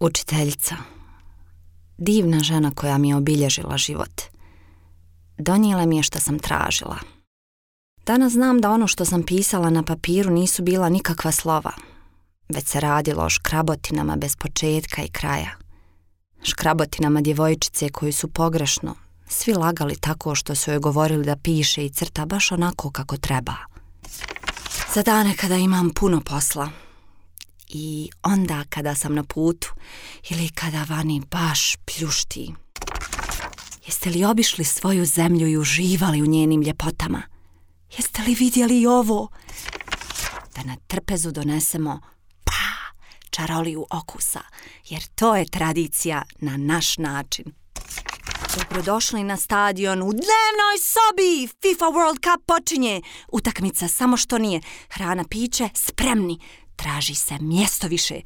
Učiteljica. Divna žena koja mi je obilježila život. Donijela mi je što sam tražila. Danas znam da ono što sam pisala na papiru nisu bila nikakva slova, već se radilo o škrabotinama bez početka i kraja. Škrabotinama djevojčice koju su pogrešno svi lagali tako što su joj govorili da piše i crta baš onako kako treba. Za dane kada imam puno posla i onda kada sam na putu ili kada vani baš pljušti. Jeste li obišli svoju zemlju i uživali u njenim ljepotama? Jeste li vidjeli i ovo? Da na trpezu donesemo čaroliju okusa, jer to je tradicija na naš način. Dobrodošli na stadion u dnevnoj sobi. FIFA World Cup počinje. Utakmica samo što nije. Hrana, piće, spremni. Traži se mjesto više.